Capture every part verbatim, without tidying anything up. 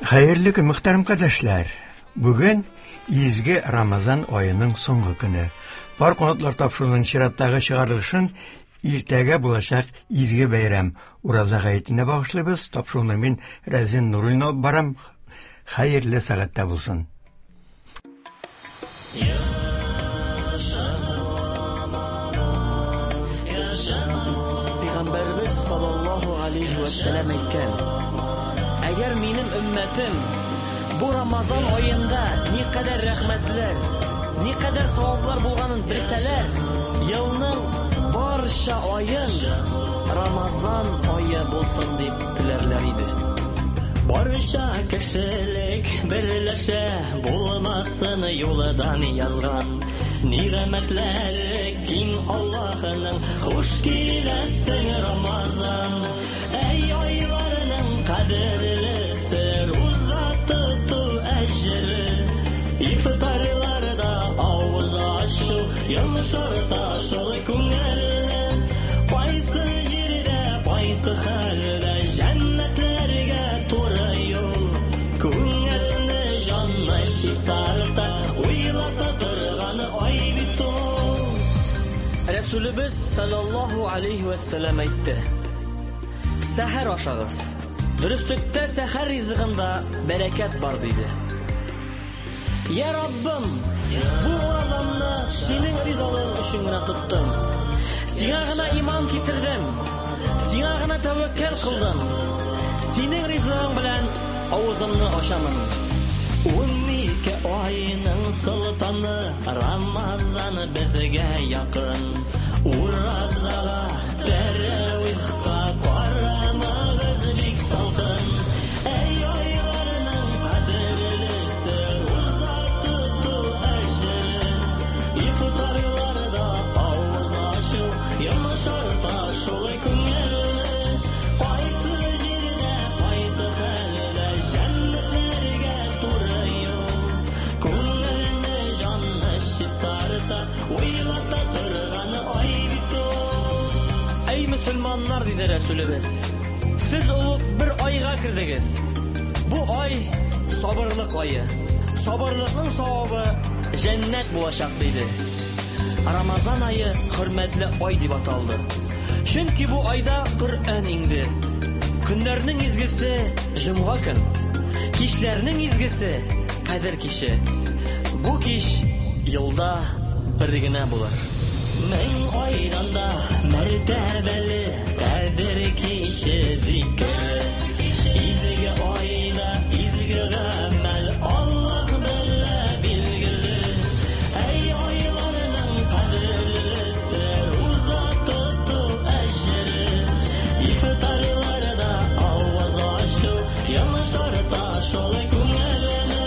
Хәерле көн, мөхтәрәм кардәшләр. Бүген изге Рамазан аеның соңгы көне. Пар канатлар тапшыруының чираттагы чыгарылышын иртәгә булачак изге бәйрәм Ураза гаетенә багышлыйбыз. Тапшыруны мин Рәзин Нуруллин алып барам. Хәерле сәгатьтә булсын. Пәйгамбәребез саллаллаһу алейхи вә сәлләм әйткән: Әгәр минем өммәтем бу Рамазан аенда никадәр рәхмәтләр, никадәр саваплар булганын белсәләр, елның барча аен Рамазан ае булсын дип теләрләр иде. Барча кешелек берләшә, булмасын юлдан язган. Ниғмәтләре киң Аллаһының, хуш киләсең Рамазан. Әй айларының кадерлесе, руза тоту әҗере. Ифтарларда авыз ачу, йомшарта шул күңелне. Кайсы җирдә, кайсы хәлдә җәннәтләргә туры юл. Күңелне, җанны чистарта, уйлата торган ай бит ул. Рәсүлебез саллаллаһу алейхи вә сәлләм әйтте: Сәхәр ашагыз. Дөреслектә сәхәр ризыгында бәрәкәт бар, диде. Я Раббым, бу уразамны синең ризалыгың өчен генә тоттым. Сиңа гына иман китердем. Сиңа гына тәвәккәл кылдым. Синең ризалыгың белән авызымны ачамын. Ун ике айның солтаны Рамазан безгә якын. Уразага, тәравихка карамагыз бик салкын. Әй айларның кадерлесе, руза тоту әҗере. Ифтарларда авыз ачу, йомшарта шул күңелне. Кайсы җирдә, кайсы хәлдә җәннәтләргә туры юл. Күңелне, җанны чистарта, уйлата торган ай бит ул. Әй мөселманнар, диде Рәсүлебез, сез олуг бер айга кердегез. Бу ай сабырлык ае. Сабырлыкның савабы җәннәт булачак, диде. Рамазан ае хөрмәтле ай дип аталды. Чөнки бу айда Коръән иңде. Көннәрнең изгесе җомга көн, кичләрнең изгесе Кадер киче. Бу кич елда бер генә булыр. Мең айдан да мәртәбәле Кадер киче зикер. Изге айда изге гамәл Аллаһ белә билгеле. Әй айларның кадерлесе, руза тоту әҗере. Ифтарларда авыз ачу, йомшарта шул күңелне.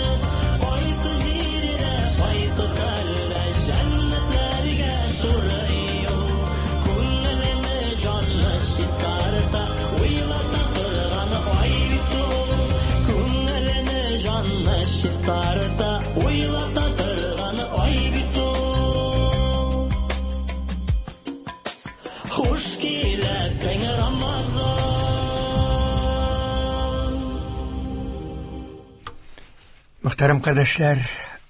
Кайсы җирдә, кайсы хәлдә җәннәтләргә туры юл. Күңелне, җанны чистарта, уйлата торган ай бит ул. Күңелне, җанны чистарта, уйлата торган ай бит ул. Хуш киләсең, Рамазан. Мөхтәрәм кардәшләр,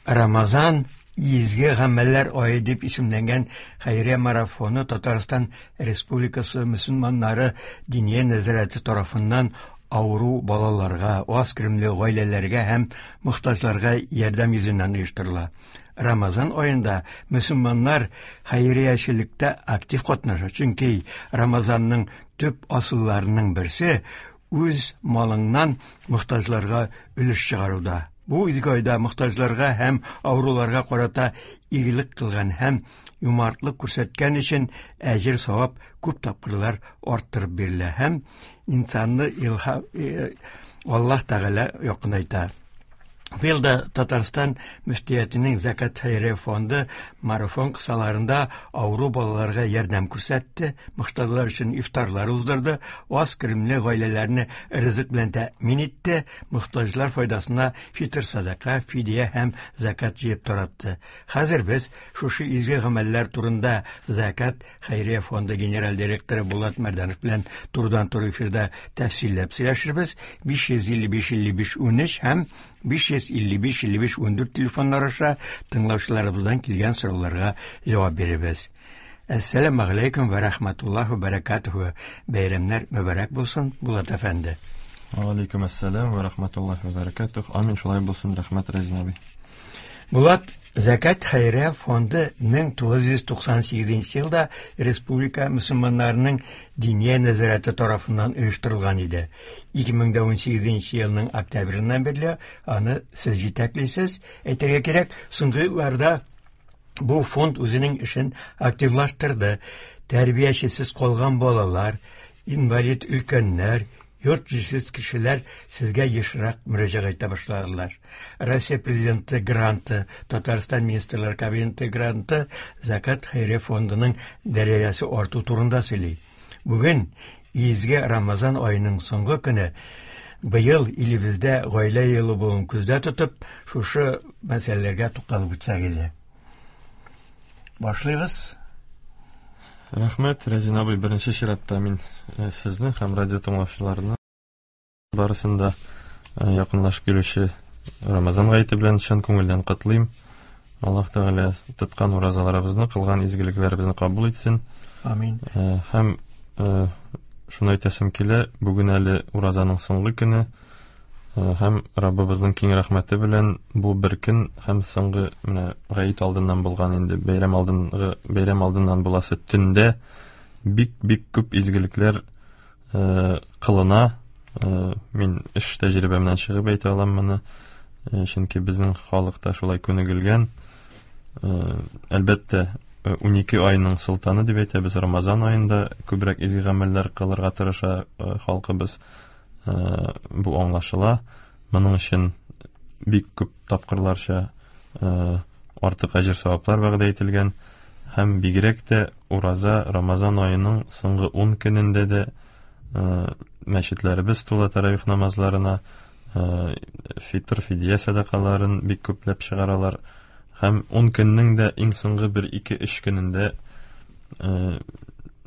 Рамазан изге гамәлләр ае дип исемләнгән хәйрия марафоны Татарстан Республикасы мөселманнары Диния нәзарәте тарафыннан авыру балаларга, аз керемле гаиләләргә һәм мохтаҗларга ярдәм йөзеннән оештырыла. Рамазан аенда мөселманнар хәйриячелектә актив катнаша, чөнки Рамазанның төп асылларының берсе үз малыңнан мохтаҗларга өлеш чыгаруда. Бу изге айда мохтаҗларга һәм авыруларга карата игелек кылган һәм юмартлык күрсәткән өчен әҗер савап күп тапкырлар арттырып бирелә һәм инсанны илһам, э, Аллаһ Тәгалә якынайта. Быел да Татарстан мөфтиятенең Зәкят хәйрия фонды марафон кысаларында авыру балаларга ярдәм күрсәтте, мохтаҗлар өчен ифтарлар уздырды, аз керемле гаиләләрне ризык белән тәэмин итте, мохтаҗлар файдасына фитр садака, фидия һәм зәкят җыеп таратты. Хәзер без шушы изге гамәлләр турында Зәкят хәйрия фонды генераль директоры Булат Мәрдәнов белән турыдан-туры эфирда тәфсилләп сөйләшербез. биш йөз илле биш илле биш унөч һәм биш йөз илле биш илле биш ундүрт телефоннар аша тыңлаучыларыбыздан килгән сорауларга җавап бирербез. Әссәламү галәйкүм вә рәхмәтуллаһи вә бәрәкәтүһү. Бәйрәмнәр мөбарәк булсын, Булат әфәнде. Ва алейкум әссәлам вә рәхмәтуллаһи вә бәрәкәтүһ. Амин, шулай булсын, рәхмәт, Рәзин абый. Булат, Зәкят хәйрия фонды мең тугыз йөз туксан сигезенче елда республика мөселманнарының диния нәзарәте тарафыннан оештырылган иде. Ике мең дә унсигезенче елның октябреннән бирле аны сез җитәклисез. Әйтергә кирәк, соңгы елларда бу фонд үзенең эшен активлаштырды. Тәрбиячесез калган балалар, инвалид өлкәннәр, йорт җирсез кешеләр сезгә ешрак мөрәҗәгать итә башладылар. Россия Президенты гранты, Татарстан Министрлар Кабинеты гранты Зәкят хәйрия фондының дәрәҗәсе арту турында сөйли. Бүген изге Рамазан аеның соңгы көне, быел илебездә гаилә елы булуын күздә тотып, шушы мәсьәләләргә тукталып үтсәк иде. Башлыйбыз. Рәхмәт, Рәзин абый. Беренче чиратта мин, э, сезне һәм радио тыңлаучыларны барысын да, э, якынлашып килүче Рамазан гаете белән чын күңелдән котлыйм. Аллаһ Тәгалә тоткан уразаларыбызны, кылган изгелекләребезне кабул итсен. Амин. Э, һәм, э, шуны әйтәсем килә, бүген әле уразаның соңгы көне, э, һәм Раббыбызның киң рәхмәте белән бу бер көн һәм соңгы менә гает алдыннан булган инде бәйрәм алдынгы бәйрәм алдыннан буласы төндә бик-бик күп изгелекләр, э, кылына. Э, мин эш тәҗрибәмнән чыгып әйтә алам моны. Э, чөнки безнең халыкта шулай күнегелгән. Э, әлбәттә, э, унике айның солтаны дип әйтәбез, Рамазан аенда күбрәк изге гамәлләр кылырга тырыша, э, халкыбыз. Э, бу аңлашыла. Моның өчен бик күп тапкырларча, э, артык әҗер саваплар вәгъдә ителгән. Һәм бигрәк тә ураза Рамазан аеның соңгы ун көнендә дә, э, мәчетләребез тула таравих намазларына, э, фитр, фидия сәдакаларын бик күпләп чыгаралар. Һәм ун көннең дә иң соңгы бер ике өч көнендә, э,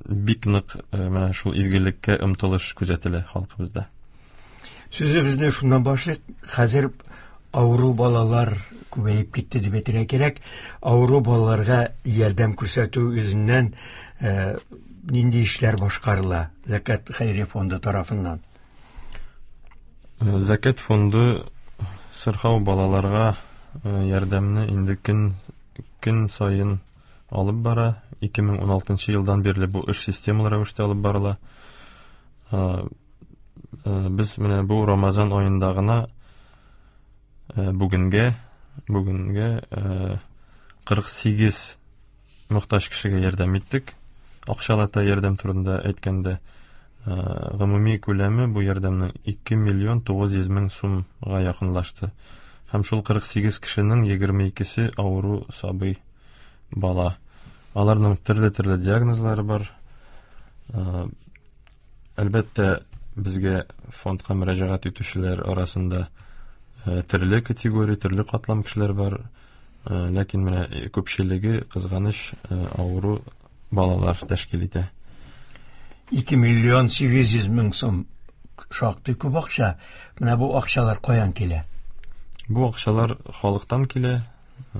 бик нык, э, менә шул изгелеккә омтылыш күзәтелә халкыбызда. Сүзебезне шуннан башлыйк. Хәзер авыру балалар күбәеп китте дип әйтергә кирәк. Авыру балаларга ярдәм күрсәтү йөзеннән, э, нинди эшләр башкарыла Зәкят хәйрия фонды тарафыннан? Э, Зәкят фонды сырхау балаларга, э, ярдәмне инде көн, көн саен алып бара. Ике мең ун алтынчы елдан бирле бу эш системалы рәвештә алып барыла. Э, э, без менә бу Рамазан аенда гына, э, бүгенгә, бүгенгә, э, кырык сигез мохтаҗ кешегә ярдәм иттек. Акчалата ярдәм турында әйткәндә, э, гомуми күләме бу ярдәмнең ике миллион тугыз йөз мең сумга якынлашты. Һәм шул кырык сигез кешенең егерме икесе авыру сабый бала. Аларның төрле-төрле диагнозлары бар. Э, әлбәттә, безгә фондка мөрәҗәгать итүчеләр арасында, э, төрле категория, төрле катлам кешеләр бар. Э, ләкин менә күпчелеге кызганыч, э, авыру балалар тәшкил итә. Ике миллион сигез йөз мең сум шактый күп акча. Менә бу акчалар каян килә? Бу акчалар халыктан килә. Э,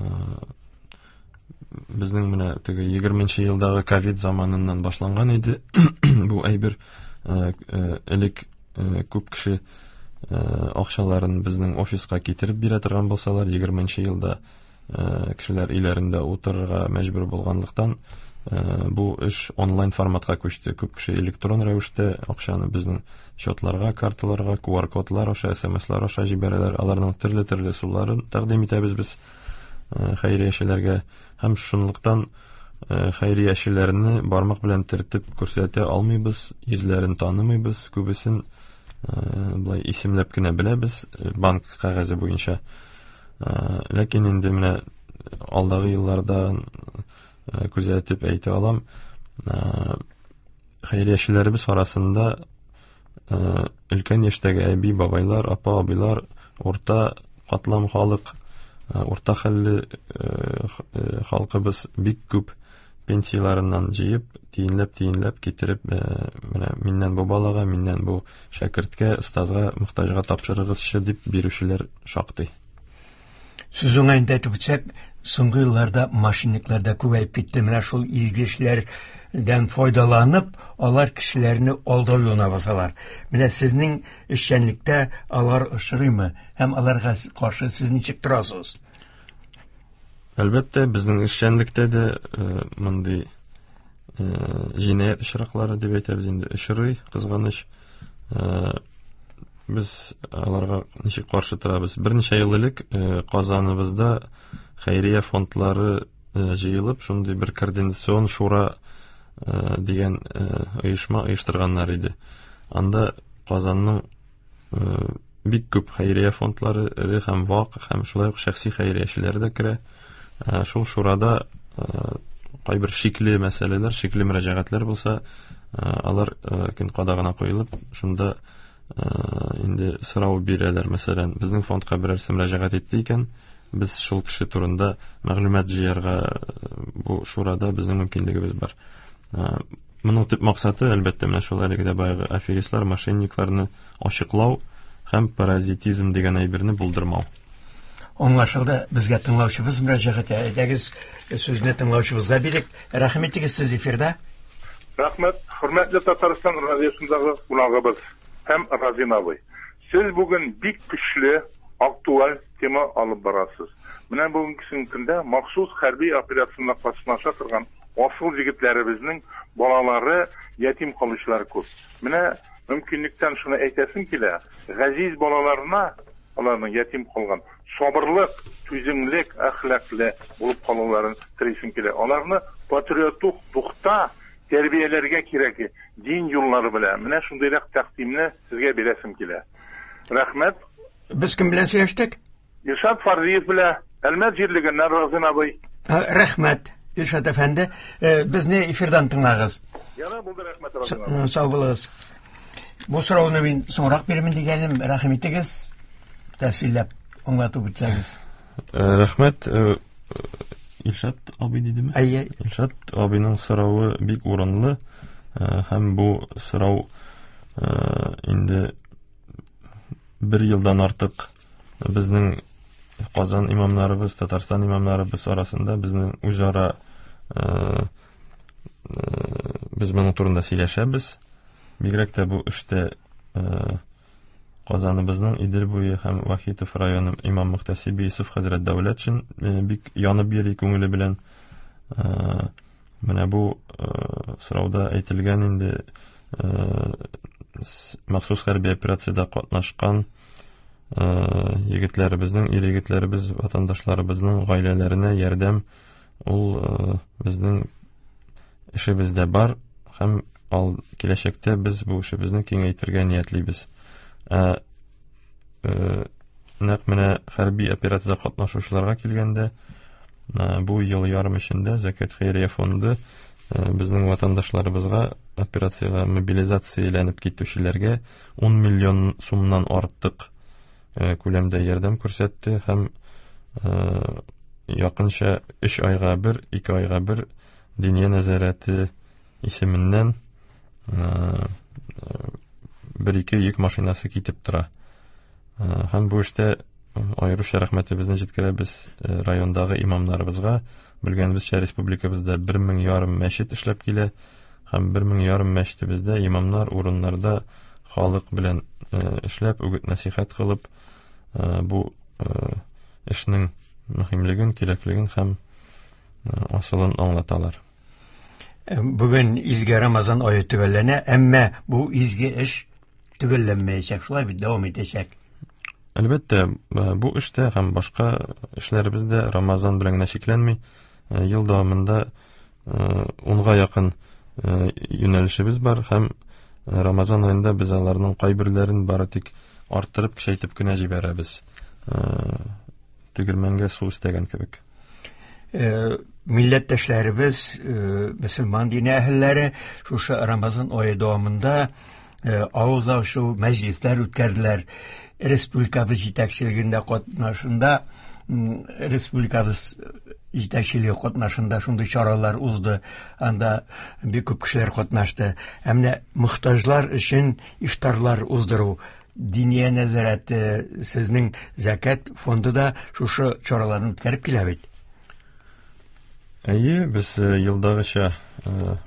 безнең менә теге егерменче елдагы ковид заманыннан башланган иде. Бу әйбер, э, э, элек, э, күп кеше, э, акчаларын безнең офиска китереп бирә торган булсалар, егерменче елда, э, кешеләр өйләрендә утырырга мәҗбүр булганлыктан, э, бу эш онлайн форматка күчте. Күп кеше электрон рәвештә акчаны безнең счетларга, карталарга, ку ар кодлар аша, эс эм эслар аша җибәрәләр. Аларның төрле-төрле ысулларын тәкъдим итәбез без, э, хәйриячеләргә. Һәм шунлыктан, э, хәйриячеләрне бармак белән төртеп күрсәтә алмыйбыз, йөзләрен танымыйбыз, күбесен, э, былай исемләп кенә беләбез, э, банк кәгазе буенча. Ләкин инде менә алдагы елларда күзәтеп әйтә алам, хәйриячеләребез арасында өлкән яшьтәге әби, бабайлар, апа, абыйлар, урта катлам халык, урта хәлле халкыбыз бик күп пенсияларыннан җыеп, тиенләп-тиенләп китереп, менә миннән бу балага, миннән бу шәкерткә, остазга, мохтаҗга тапшырыгызчы дип бирүчеләр шактый. Сүз уңаенда әйтеп үтсәк, соңгы елларда мошенниклар да күбәеп китте. Менә шул изге эшләрдән файдаланып, алар кешеләрне алдау юлына басалар. Менә сезнең эшчәнлектә алар очрыймы һәм аларга каршы сез ничек торасыз? Әлбәттә, безнең эшчәнлектә дә мондый җинаять очраклары дип әйтәбез инде очрый, кызганыч. Без аларга ничек каршы торабыз? Берничә ел элек Казаныбызда хәйрия фондлары җыелып, шундый бер координацион шура дигән оешма оештырганнар иде. Анда Казанның бик күп хәйрия фондлары, эре һәм вак, һәм шулай ук шәхси хәйриячеләр дә керә. Шул шурада кайбер шикле мәсьәләләр, шикле мөрәҗәгатьләр булса, алар көн кадагына куелып, шунда инде сорау бирәләр. Мәсәлән, безнең фондка берәрсе мөрәҗәгать итте икән, без шул кеше турында мәгълүмат җыярга бу шурада безнең мөмкинлегебез бар. Моның төп максаты, әлбәттә, менә шул әлеге дә баягы аферистлар, мошенникларны ачыклау һәм паразитизм дигән әйберне булдырмау. Аңлашылды, безгә тыңлаучыбыз мөрәҗәгать итә. Әйдәгез, сүзне тыңлаучыбызга бирик. Рәхим итегез, сез эфирда. Рәхмәт, хөрмәтле Татарстан радиосындагы кунагыбыз һәм Разин абый. Сез бүген бик көчле, актуаль тема алып барасыз. Менә бүгенге көндә махсус хәрби операциясендә катнаша торган асыл егетләребезнең балалары ятим калучылар күп. Менә мөмкинлектән шуны әйтәсем килә, газиз балаларына аларның ятим калган сабырлык, түземлек, әхлаклы булып калуларын телисем килә. Аларны патриотлык духта тәрбияләргә кирәк, дин юллары белән. Менә шундыйрак тәкъдимне сезгә бирәсем килә. Рәхмәт. Без кем белән сөйләштек? Илшат Фарзиев белән, Әлмәт җирлегеннән Разин абый. Рәхмәт, Илшат әфәнде. Безне эфирдан тыңлагыз. Яра булды, рәхмәт, Разин абый. Сау булыгыз. Бу сорауны мин соңрак бирмен дигәнем, рәхим итегез, тәфсилләп аңлатып үтсәгез. Рәхмәт, Илшат абый дидеме? Әйе. Илшат абыйның соравы бик урынлы, һәм бу сорау инде бер елдан артык безнең Казан имамнарыбыз, Татарстан имамнарыбыз арасында безнең үзара без моның турында сөйләшәбез. Бигрәк тә бу эштә Казаныбызның Идел буе һәм Вахитов районы имам мөхтәсибе Юсуф хәзрәт Дәүләтшин бик янып йөри күңеле белән. Менә бу сорауда әйтелгән инде махсус хәрби операциядә катнашкан егетләребезнең, ир егетләребез, ватандашларыбызның гаиләләренә ярдәм ул безнең эшебездә бар һәм ал киләчәктә без бу эшебезне киңәйтергә ниятлибез. Ә, ә, нәкъ менә хәрби операциядә катнашучыларга килгәндә, бу ел ярым эчендә Зәкят хәйрия фонды безнең ватандашларыбызга операциягә мобилизацияләнеп китүчеләргә ун миллион сумнан артык күләмдә ярдәм күрсәтте һәм якынча өч айга бер, ике айга бер Диния нәзарәте исеменнән бер ике йөк машинасы китеп тора. Һәм бу эштә аеруча рәхмәтебезне җиткерәбез райондагы имамнарыбызга. Белгәнебезчә, республикабызда бер мең ярым мәчет эшләп килә һәм бер мең ярым мәчетебездә имамнар урыннарда халык белән эшләп, үгет-нәсихәт кылып, бу эшнең мөһимлеген, кирәклеген һәм асылын аңлаталар. Бүген изге Рамазан ае төгәлләнә, әмма бу изге эш төгәлләнмәячәк, шулай бит, дәвам итәчәк. Әлбәттә, бу эштә һәм башка эшләребез дә Рамазан белән генә чикләнми. Ел дәвамында унга якын юнәлешебез бар һәм Рамазан аенда без аларның кайберләрен бары тик арттырып, көчәйтеп кенә җибәрәбез. Тегермәнгә су өстәгән кебек. Милләттәшләребез, мөселман дине әһелләре шушы Рамазан ае дәвамында авыз ачу мәҗлесләр үткәрделәр. Республикабыз җитәкчелегендә катнашында, республикабыз җитәкчелеге катнашында шундый чаралар узды. Анда бик күп кешеләр катнашты. Ә менә мохтаҗлар өчен ифтарлар уздыру, Диния нәзарәте, сезнең зәкят фонды да шушы чараларны үткәреп килә бит. Әйе, без елдагыча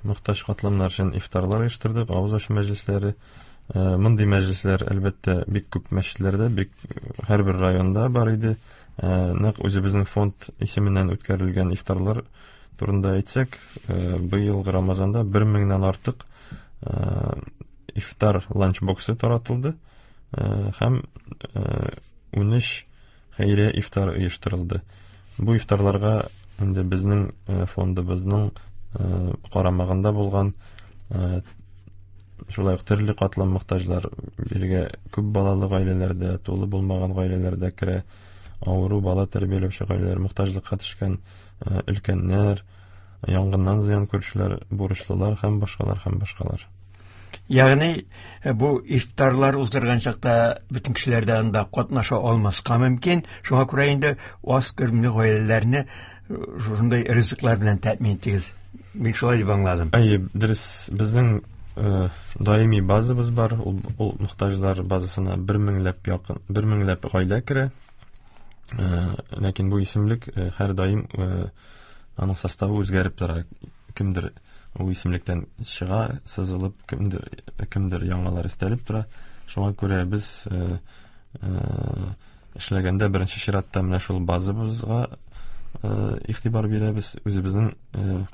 мохтаҗ катламнар өчен ифтарлар оештырдык, авыз ачу мәҗлесләре. Мондый мәҗлесләр, әлбәттә, бик күп мәчетләрдә, бик һәрбер районда бар иде. Нәкъ үзебезнең фонд исеменнән үткәрелгән ифтарлар турында әйтсәк, быелгы Рамазанда бер меңнән артык ифтар ланчбоксы таратылды һәм унөч хәйрия ифтар оештырылды. Бу ифтарларга инде безнең фондыбызның карамагында булган шулай ук төрле катлам мохтаҗлар, биргә күп балалы гаиләләрдә, тулы булмаган гаиләләрдә керә, авыру бала тәрбияләүче гаиләләр, мохтаҗлыкка төшкән өлкәннәр, янгыннан зыян күрүчеләр, бурычлылар һәм башкалар һәм башкалар. Ягъни бу ифтарлар уздырган чакта бөтен кешеләр дә анда катнаша алмаска мөмкин. Шуңа күрә инде аз керемле гаиләләрне шушындай ризыклар белән тәэмин итегез. Мин шулай дип аңладым. Әйе, дөрес. Безнең даими базабыз бар. Ул, ул мохтаҗлар базасына бер меңләп якын, бер меңләп гаилә керә. Ләкин бу исемлек һәр даим аның составы үзгәреп тора. Кемдер ул исемлектән чыга, сызылып, кемдер, кемдер яңалар өстәлеп тора. Шуңа күрә без эшләгәндә беренче чиратта менә шул базабызга игътибар бирәбез, үзебезнең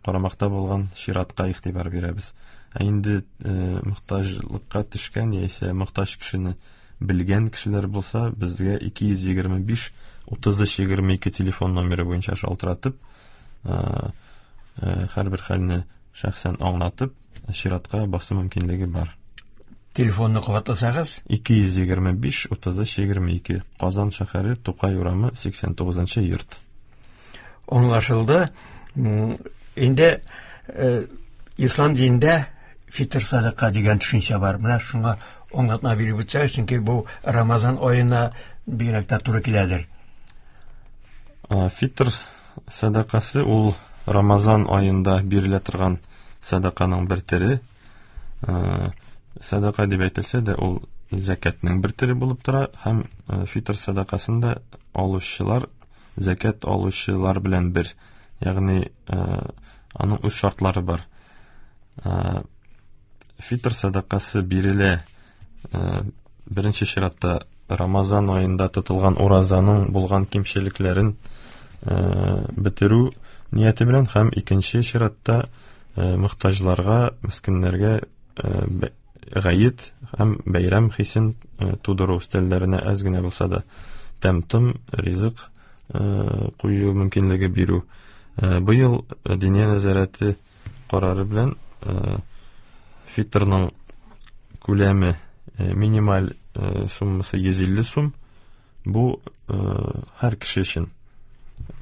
карамакта булган чиратка игътибар бирәбез. Ә инде мохтаҗлыкка төшкән яисә мохтаҗ кешене белгән кешеләр булса, безгә ике йөз егерме биш утыз өч егерме ике телефон номеры буенча шалтыратып, һәрбер хәлне шәхсән аңлатып, чиратка басу мөмкинлеге бар. Телефонны кабатласагыз? ике йөз егерме биш утыз өч егерме ике, Казан шәһәре, Тукай урамы, сиксән тугызынчы йорт. Аңлашылды. Инде ислам динендә фитр садака дигән төшенчә бар. Менә шуңа аңлатма биреп үтсәгез, чөнки бу Рамазан аена бигрәк тә туры киләдер. Фитр садакасы ул Рамазан аенда бирелә торган садаканың бер төре. Садака дип әйтелсә дә, ул зәкятнең бер төре булып тора һәм фитр садакасын да алучылар зәкят алучылар белән бер. Ягъни аның үз шартлары бар. Фитр садакасы бирелә беренче чиратта Рамазан аенда тотылган уразаның булган кимчелекләрен бетерү нияте белән һәм икенче чиратта мохтаҗларга, мискиннәргә гает һәм бәйрәм хисен тудыру, өстәлләренә әз генә булса да тәм-том, ризык кую мөмкинлеге бирү. Быел Диния нәзарәте карары белән фитрның күләме минималь суммасы йөз илле сум. Бу һәр кеше өчен.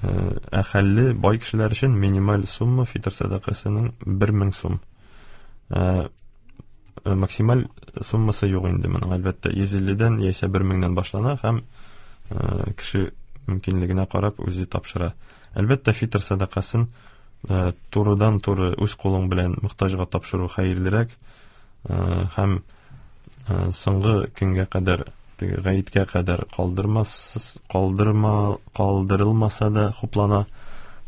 Ә хәлле бай кешеләр өчен минималь сумма фитр садакасының бер мең сум. Максималь суммасы юк инде моның, әлбәттә, йөз илледән яисә бер меңнән башлана һәм кеше мөмкинлегенә карап үзе тапшыра. Әлбәттә, фитр садакасын турыдан-туры үз кулың белән мохтаҗга тапшыру хәерлерәк һәм соңгы көнгә кадәр, теге гаеткә кадәр калдырмас, калдырма, калдырылмаса да хуплана.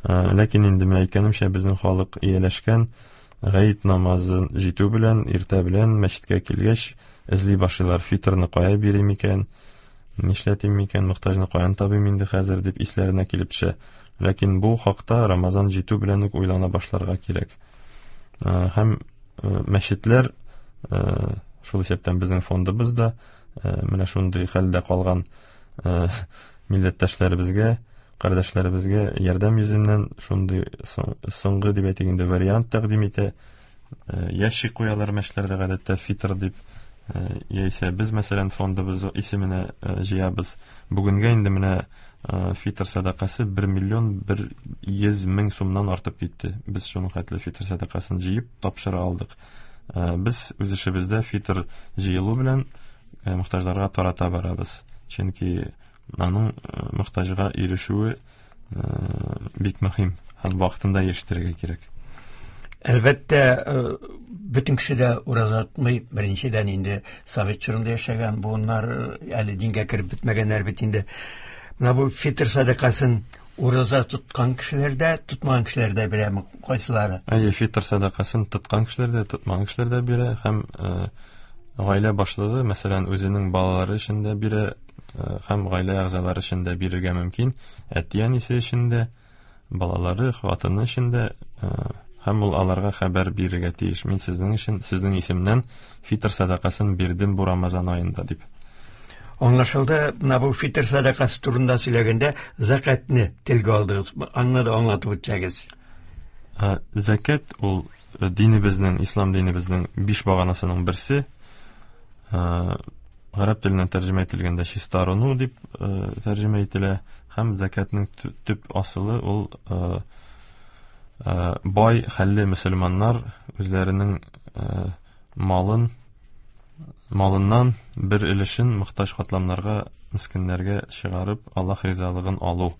Ләкин инде мин әйткәнемчә, безнең халык ияләшкән, гает намазын җитү белән, иртә белән мәчеткә килгәч эзли башлыйлар, фитрны кая бирим икән, нишләтим икән, мохтаҗны каян табыйм инде хәзер дип исләренә килеп төшә. Ләкин бу хакта Рамазан җитү белән үк уйлана башларга кирәк. Һәм мәчетләр, шул исәптән безнең фондыбыз да, менә шундый хәлдә калган милләттәшләребезгә, кардәшләребезгә ярдәм йөзеннән шундый соңгы дип әйтик инде вариант тәкъдим итә. Ящик куялар мәчетләрдә гадәттә фитр дип, яисә без мәсәлән фондыбыз исеменә җыябыз. Бүгенгә инде менә фитр сәдакасы бер миллион бер йөз мең сумнан артып китте. Без шуның хәтле фитр сәдакасын җыеп тапшыра алдык. Без үз эшебездә фитр җыелу белән мохтаҗларга тарата барабыз. Чөнки аның мохтаҗга ирешүе бик мөһим һәм вакытында ирештерергә кирәк. Әлбәттә, бөтен кеше дә ураза тотмый. Беренчедән инде совет чорында яшәгән буыннар әле дингә кереп бетмәгәннәр бит инде. Менә бу фитр сәдакасын ураза тоткан кешеләр дә, тотмаган кешеләр дә бирәме, кайсылары? Әйе, фитр сәдакасын тоткан кешеләр дә, тотмаган кешеләр дә бирә һәм гаилә башлыгы, мәсәлән, үзенең балалары өчен дә бирә һәм гаилә әгъзалары өчен дә бирергә мөмкин, әти-әнисе өчен дә, балалары, хатыны өчен дә, һәм ул аларга хәбәр бирергә тиеш. Мин сезнең өчен, сезнең исемнән фитр сәдакасын бирдем бу Рамазан аенда дип. Аңлашылды. Менә бу фитр сәдакасы турында сөйләгәндә закатны телгә алдыгыз. Аны да аңлатып үтсәгез. Закат ул динебезнең, ислам динебезнең биш баганасының берсе. Гарәп теленнән тәрҗемә ителгәндә чистарыну дип тәрҗемә ителә һәм закатның төп асылы ул бай хәлле мөселманнар үзләренең малын малыннан бер өлешен мохтаҗ катламнарга, мискиннәргә чыгарып, Аллаһ ризалыгын алу.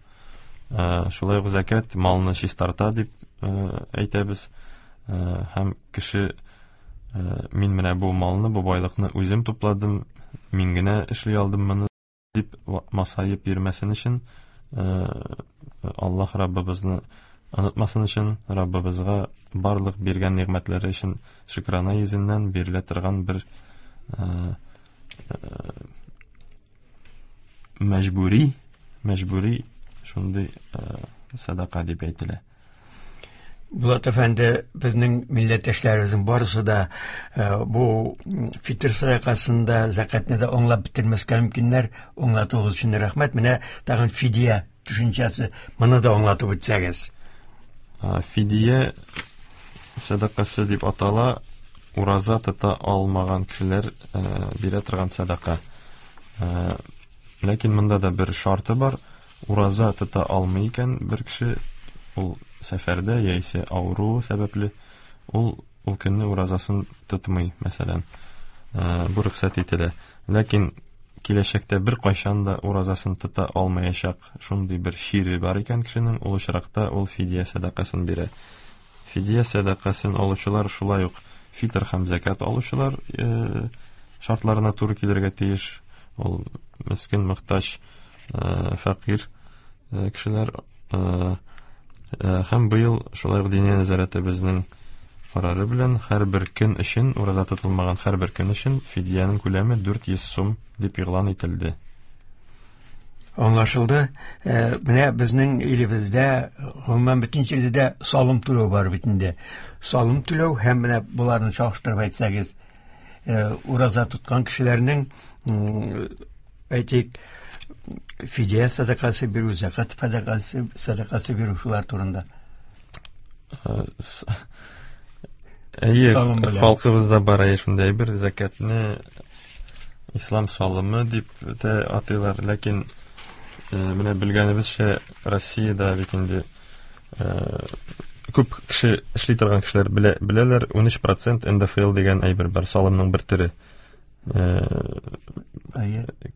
Шулай ук закат малны чистарта дип әйтәбез. Һәм кеше мин менә бу малны, бу байлыкны үзем тупладым, мин генә эшли алдым моны дип масаеп йөрмәсен өчен, Аллаһ Раббыбызны онытмасын өчен, Раббыбызга барлык биргән нигъмәтләре өчен шөкрана йөзеннән бирелә торган бер мәҗбүри, мәҗбүри шундый садака дип әйтелә. Булат әфәнде, безнең милләттәшләребезнең барысы да бу фитр садакасында закатны да аңлап бетермәскә мөмкиннәр. Аңлатуыгыз өчен рәхмәт. Менә тагын фидия төшенчәсе, моны да аңлатып үтсәгез. Фидия садакасы дип атала, ураза тота алмаган кешеләр бирә торган садака. Ләкин монда да бер шарты бар. Ураза тота алмый икән бер кеше, ул сәфәрдә яисә авыру сәбәпле, ул ул көнне уразасын тотмый, мәсәлән. Бу рөхсәт ителә. Ләкин киләчәктә бер кайчан да уразасын тота алмаячак шундый бер чире бар икән кешенең, ул очракта ул фидия сәдакасын бирә. Фидия сәдакасын алучылар шулай ук фитр һәм закат алучылар шартларына туры килергә тиеш. Ул мискин, мохтаҗ, фәкыйрь кешеләр. Һәм быел шулай ук Диния нәзарәтебезнең карары белән һәрбер көн өчен, ураза тотылмаган һәрбер көн өчен фидиянең күләме дүрт йөз сум дип игълан ителде. Аңлашылды. Менә безнең илебездә, гомумән бөтен җирдә дә салым түләү бар бит инде. Салым түләү һәм менә боларны чагыштырып әйтсәгез, ураза тоткан кешеләрнең, әйтик, фидия садакасы бирү, закат садакасы, садакасы бирү, шулар турында. Әйе, халкыбызда бар әйе шундай бер закатны ислам салымы дип тә атыйлар, ләкин менә белгәнебезчә, Россиядә бит инде күп кеше эшли торган кешеләр белә, беләләр, ун өч процент эн дэ эф эл дигән әйбер бар, салымның бер төре.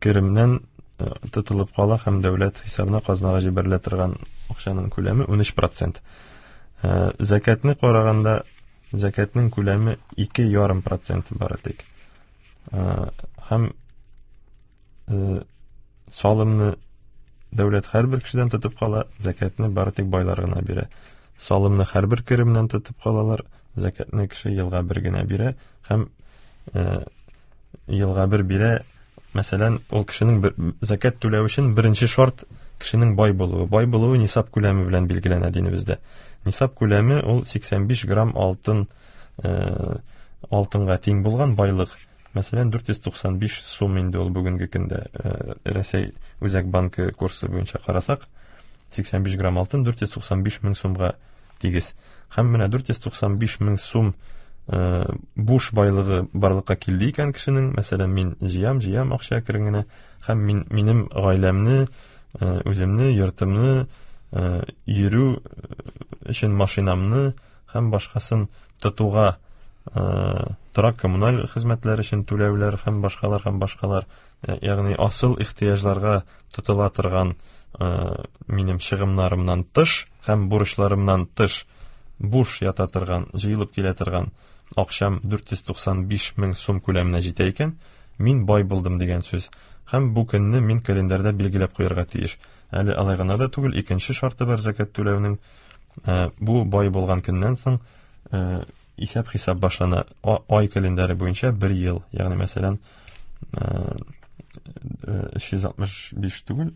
Керемнән тотылып кала һәм дәүләт хисабына казнага җибәрелә торган акчаның күләме ун өч процент. Закатны караганда закатның күләме ике ярым процент бары тик. Һәм салымны дәүләт һәрбер кешедән тотып кала, закатны бары тик байлар гына бирә. Салымны һәрбер керемнән тотып калалар, закатны кеше елга бер генә бирә һәм елга бер бирә. Мәсәлән, ул кешенең бер, закат түләү өчен беренче шарт кешенең бай булуы. Бай булуы нисап күләме белән билгеләнә динебездә. Нисап күләме ул сиксән биш грамм алтын, э, алтынга тиң булган байлык. Мәсәлән, дүрт йөз туксан биш сум инде ул бүгенге көндә, э, Рәсәй Үзәк банкы курсы буенча карасак, сиксән биш грамм алтын дүрт йөз туксан биш мең сумга тигез. Һәм менә дүрт йөз туксан биш мең сум буш байлыгы барлыкка килде икән кешенең, мәсәлән, мин җыям, җыям акча әкрен генә, һәм мин, минем гаиләмне, Үземне, йортымны, йөрү өчен машинамны һәм башкасын тотуга, торак коммуналь хезмәтләр өчен түләүләр һәм башкалар һәм башкалар, ягъни асыл ихтыяҗларга тотыла торган минем чыгымнарымнан тыш һәм бурычларымнан тыш буш ята торган, җыелып килә торган акчам дүрт йөз туксан биш мең сум күләменә җитә икән, мин бай булдым дигән сүз. Һәм бу көнне мин календарьда билгеләп куярга тиеш. Әле алай гына да түгел, икенче шарты бар зәкят түләүнең. Бу бай булган көннән соң исәп-хисап башлана. Ай календаре буенча бер ел, ягъни мәсәлән, өч йөз алтмыш биш түгел,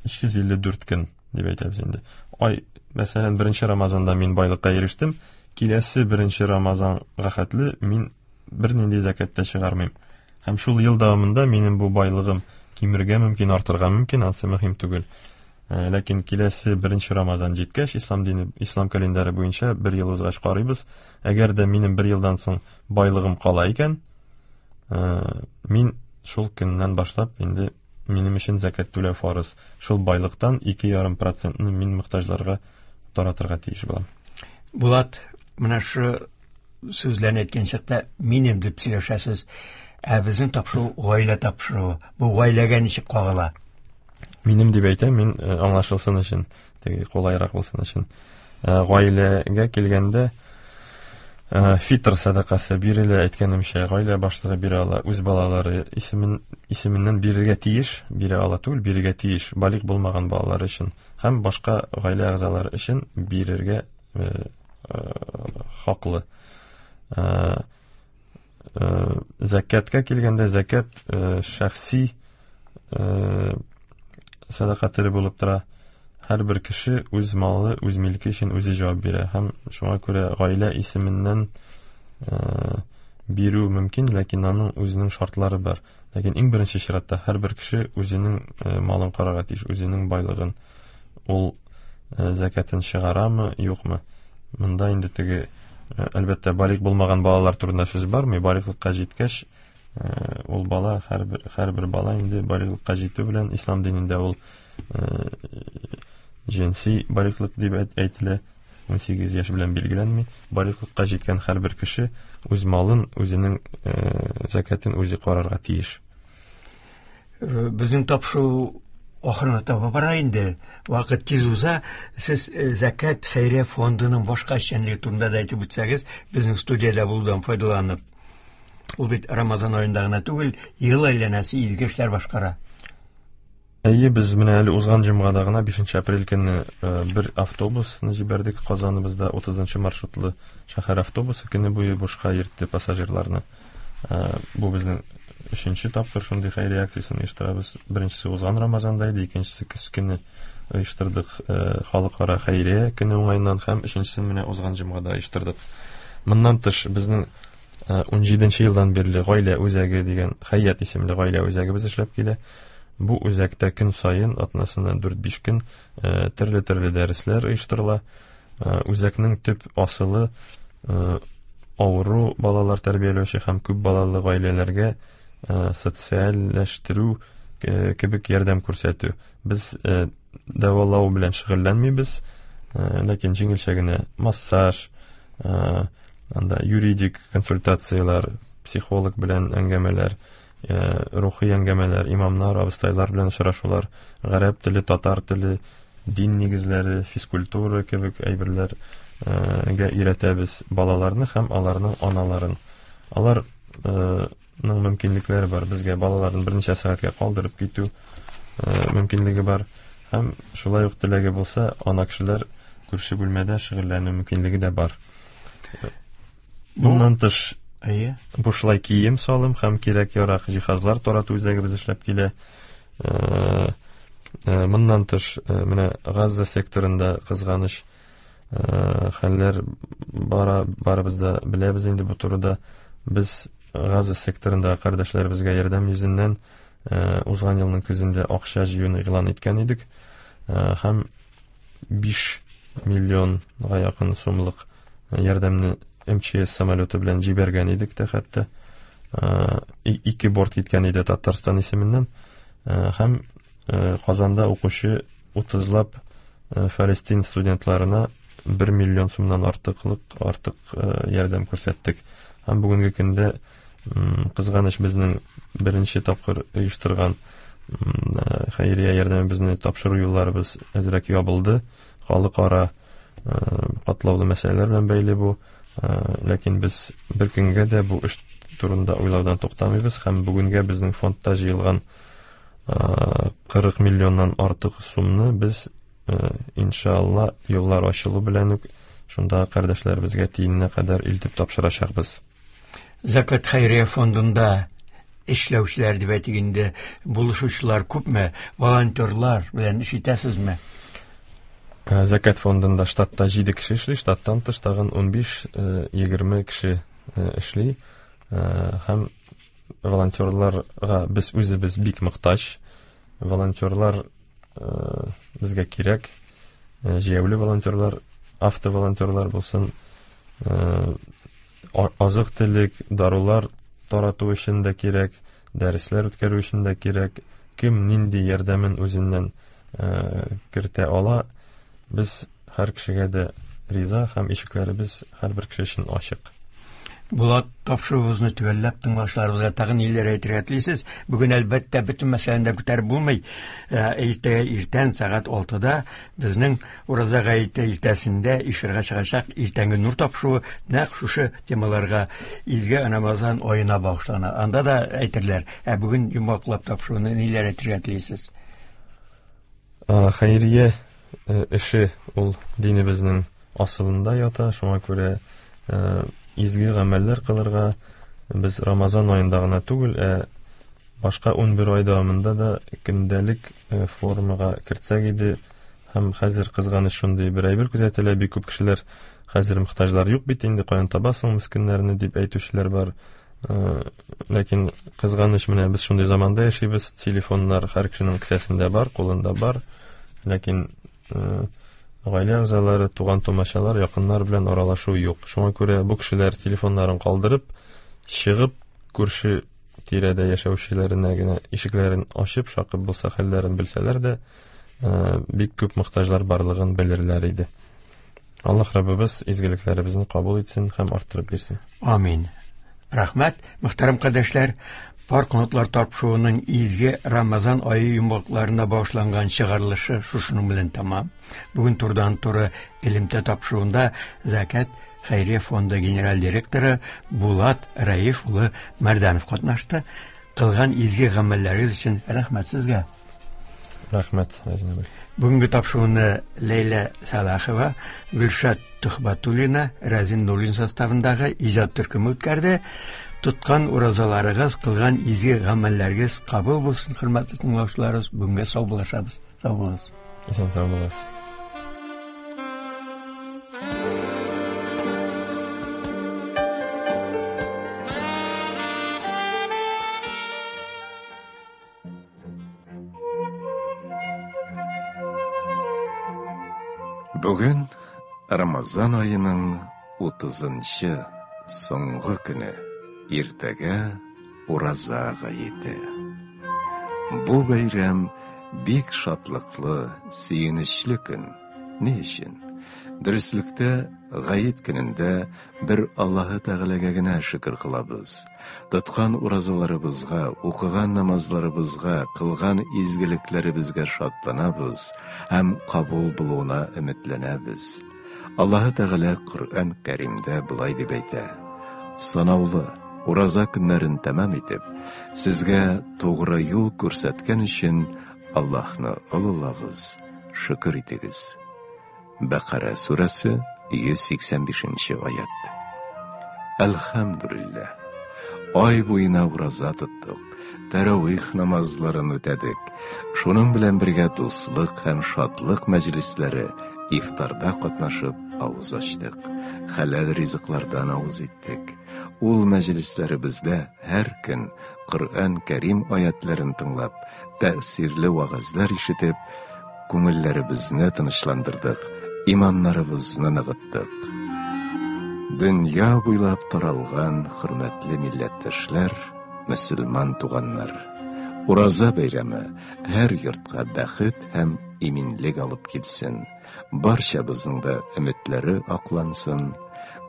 өч йөз илле дүрт көн дип әйтәбез инде. Ай, мәсәлән, беренче Рамазанда мин байлыкка ирештем, киләсе беренче Рамазанга хәтле мин бернинди зәкят тә чыгармыйм. Һәм шул ел дәвамында минем бу байлыгым кимергә мөмкин, артырга мөмкин, ансы мөһим түгел. Ләкин киләсе беренче Рамазан җиткәч, ислам дине, ислам календаре буенча бер ел узгач карыйбыз. Әгәр дә минем бер елдан соң байлыгым кала икән, мин шул көннән башлап инде минем өчен зәкят түләү фарыз. Шул байлыктан ике ярым процентны мин мохтаҗларга таратырга тиеш булам. Булат, менә шу сүзләрне әйткән чакта минем дип сөйләшәсез. Ә безнең тапшыру гаилә тапшыруы. Бу гаиләгә ничек кагыла? Минем дип әйтәм, мин аңлашылсын өчен, теге кулайрак булсын өчен. Гаиләгә килгәндә фитр сәдакасы бирелә, әйткәнемчә, гаилә башлыгы бирә ала, үз балалары исемен, исеменнән бирергә тиеш, бирә ала түгел, бирергә тиеш, балигъ булмаган балалар өчен һәм башка гаилә әгъзалары өчен бирергә хаклы. Зәкәткә килгәндә, зәкәт шәхси сәдака төре булып тора. Һәрбер кеше үз малы, үз милке өчен үзе җавап бирә. Һәм шуңа күрә гаилә исеменнән бирү мөмкин, ләкин аның үзенең шартлары бар. Ләкин иң беренче чиратта һәрбер кеше үзенең малын карарга тиеш, үзенең байлыгын. Ул зәкәтен чыгарамы, юкмы? Монда инде теге, әлбәттә, балигъ булмаган балалар турында сүз бармый. Балигълыкка җиткәч, ул бала, һәрбер, һәрбер бала инде балигълыкка җитү белән ислам динендә ул җенси балигълык дип әйтелә, ун сигез яшь белән билгеләнми. Балигълыкка җиткән һәрбер кеше үз малын, үзенең зәкятен үзе карарга тиеш. Безнең тапшыру ахырына таба бара инде. Вакыт тиз уза. Сез Зәкят хәйрия фондының башка эшчәнлеге турында да әйтеп үтсәгез, безнең студиядә булудан файдаланып. Ул бит Рамазан аенда гына түгел, ел әйләнәсе изге эшләр башкара. Әйе, без менә әле узган җомгада гына бишенче апрель көнне бер автобусны җибәрдек. Казаныбызда утызынчы маршрутлы шәһәр автобусы көне буе бушка йөртте пассажирларны. Бу безнең өченче тапкыр шундый хәйрия акциясен оештырабыз. Беренчесе узган Рамазанда иде, икенчесе көз көне оештырдык, халыкара хәйрия көне уңаеннан, һәм өченчесен менә узган җомгада оештырдык. Моннан тыш безнең ун җиденче елдан бирле гаилә үзәге дигән Хәят исемле гаилә үзәгебез эшләп килә. Бу үзәктә көн саен, атнасына дүрт-биш көн төрле-төрле дәресләр оештырыла. Үзәкнең төп асылы авыру балалар тәрбияләүче һәм күп балалы гаиләләргә социальләштерү кебек ярдәм күрсәтү. Без дәвалау белән шөгыльләнмибез, ләкин җиңелчә генә массаж, анда юридик консультацияләр, психолог белән әңгәмәләр, рухи әңгәмәләр, имамнар, абыстайлар белән очрашулар, гарәп теле, татар теле, дин нигезләре, физкультура кебек әйберләргә өйрәтәбез балаларны һәм аларның аналарын. Алар ның мөмкинлекләре бар. Безгә балаларын берничә сәгатькә калдырып китү мөмкинлеге бар. Һәм шулай ук теләге булса, ана кешеләр күрше бүлмәдә шөгыльләнү мөмкинлеге дә бар. Моннан тыш, бушлай кием салым һәм кирәк-ярак җиһазлар тарату үзәгебез эшләп килә. Моннан тыш, менә Газа секторында кызганыч хәлләр бара, барыбыз да беләбез инде бу турыда. Без Газа секторында кардәшләребезгә ярдәм йөзеннән узган елның көзендә акча җыюны игълан иткән идек. Һәм биш миллионга якын сумлык ярдәмне эм че эс самолеты белән җибәргән идек тә, хәтта ике борт киткән иде Татарстан исеменнән. Һәм Казанда укучы утызлап Фалестин студентларына бер миллион сумнан артыклык артык ярдәм күрсәттек. Һәм бүгенге көндә кызганыч безнең беренче тапкыр оештырган хәйрия ярдәмебезне тапшыру юлларыбыз әзрәк ябылды. Халыкара катлаулы мәсьәләләр белән бәйле бу. Ләкин без бер көнгә дә бу эш турында уйлаудан туктамыйбыз һәм бүгенгә безнең фондта җыелган кырык миллионнан артык сумны без иншалла юллар ачылу белән үк шунда кардәшләребезгә тиененә кадәр илтеп тапшырачакбыз. Зәкят хәйрия фондында эшләүчеләр дип әйтик инде, булышучылар күпме, волонтерлар белән эш итәсезме? Зәкят фондында штатта җиде кеше эшли, штаттан тыш тагын унбиш егерме кеше эшли. Һәм волонтерларга без үзебез бик мохтаҗ. Волонтерлар безгә кирәк. Җәяүле волонтерлар, автоволонтерлар булсын, азык-төлек, дарулар тарату өчен дә кирәк, дәресләр үткәрү өчен дә кирәк. Кем нинди ярдәмен үзеннән кертә ала, без һәр кешегә дә риза һәм ишекләребез һәрбер кеше өчен ачык. Булат, тапшыруыбызны төгәлләп тыңлаучыларыбызга тагын ниләр әйтергә телисез? Бүген әлбәттә бөтен мәсьәләне дә күтәреп булмый. Иртәгә иртән сәгать алтыда безнең Ураза гаете иртәсендә эфирга чыгачак иртәнге нур тапшыруы нәкъ шушы темаларга, изге Рамазан аена багышлана. Анда да әйтерләр. Ә бүген йомгаклап тапшыруны ниләр әйтергә телисез? Хәйрия эше ул динебезнең асылында ята, шуңа күрә изге гамәлләр кылырга без Рамазан аенда гына түгел, ә башка унбер ай дәвамында да көндәлек формага кертсәк иде. Һәм хәзер кызганыч шундый бер әйбер күзәтелә, бик күп кешеләр хәзер мохтаҗлар юк бит инде, каян табасың мескеннәрне дип әйтүчеләр бар. Ләкин кызганыч, менә без шундый заманда яшибез, телефоннар һәр кешенең кесәсендә бар, кулында бар, ләкин гаилә әгъзалары, туган тумачалар, якыннар белән аралашу юк. Шуңа күрә бу кешеләр телефоннарын калдырып, чыгып, күрше тирәдә яшәүчеләренә генә ишекләрен ачып, шакып булса хәлләрен белсәләр дә, бик күп мохтаҗлар барлыгын белерләр иде. Аллаһ Раббыбыз изгелекләребезне кабул итсен һәм арттырып бирсен. Амин. Рәхмәт, мөхтәрәм кардәшләр. Пар канатлар тапшыруының изге Рамазан ае йомгакларына багышланган чыгарылышы шушының белән тәмам. Бүген турыдан-туры элемтә тапшыруында Зәкят хәйрия фонды генераль директоры Булат Раиф улы Мәрдәнов катнашты. Кылган изге гамәлләрегез өчен рәхмәт сезгә. Рәхмәт, Әзмәбәй. Бүгенге тапшыруны Ләйлә Салахова, Гөлшат Тухбатуллина, Разин Нуллин составындагы иҗат төркеме үткәрде. Тоткан уразаларыгыз, кылган изге гамәлләрегез кабул булсын, хөрмәтле тыңлаучыларыбыз. Бүгенгә саубуллашабыз. Сау булыгыз. Исән сау булыгыз. Бүген Рамазан аеның утызынчы соңгы көне. Иртәгә Ураза гаете. Бу бәйрәм бик шатлыклы, сөенечле көн. Ни өчен? Дөреслектә гает көнендә бер Аллаһы Тәгаләгә генә шөкер кылабыз. Тоткан уразаларыбызга, укыган намазларыбызга, кылган изгелекләребезгә шатланабыз һәм кабул булуына өметләнәбез. Аллаһы Тәгалә Коръән Кәримдә болай дип әйтә: Санаулы ураза көннәрен тәмам итеп, сезгә тугры юл күрсәткән өчен Аллаһны олылагыз, шөкер итегез. Бәкара сүрәсе йөз сиксән бишенче аят. Әлхәмдүлилләһ. Ай буена ураза тоттык, тәравих намазларын үтәдек. Шуның белән бергә дуслык һәм шатлык мәҗлесләре, ифтарда катнашып авыз ачтык. Хәләл ризыклардан авыз иттек. Ул мәҗлесләребездә һәр көн Коръән Кәрим аятларын тыңлап, тәэсирле вәгазьләр ишетеп, күңелләребезне тынычландырдык, иманнарыбызны ныгыттык. Дөнья буйлап таралган хөрмәтле милләттәшләр, мөселман туганнар, Ураза бәйрәме һәр йортка бәхет һәм иминлек алып килсен. Барчабызның да өметләре аклансын,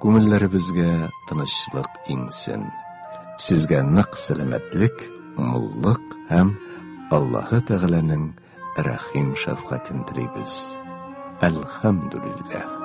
күңелләребезгә тынычлык иңсен. Сезгә нык сәламәтлек, муллык һәм Аллаһы Тәгаләнең рәхим шәфкатен телибез. Әлхәмдүлилләһ.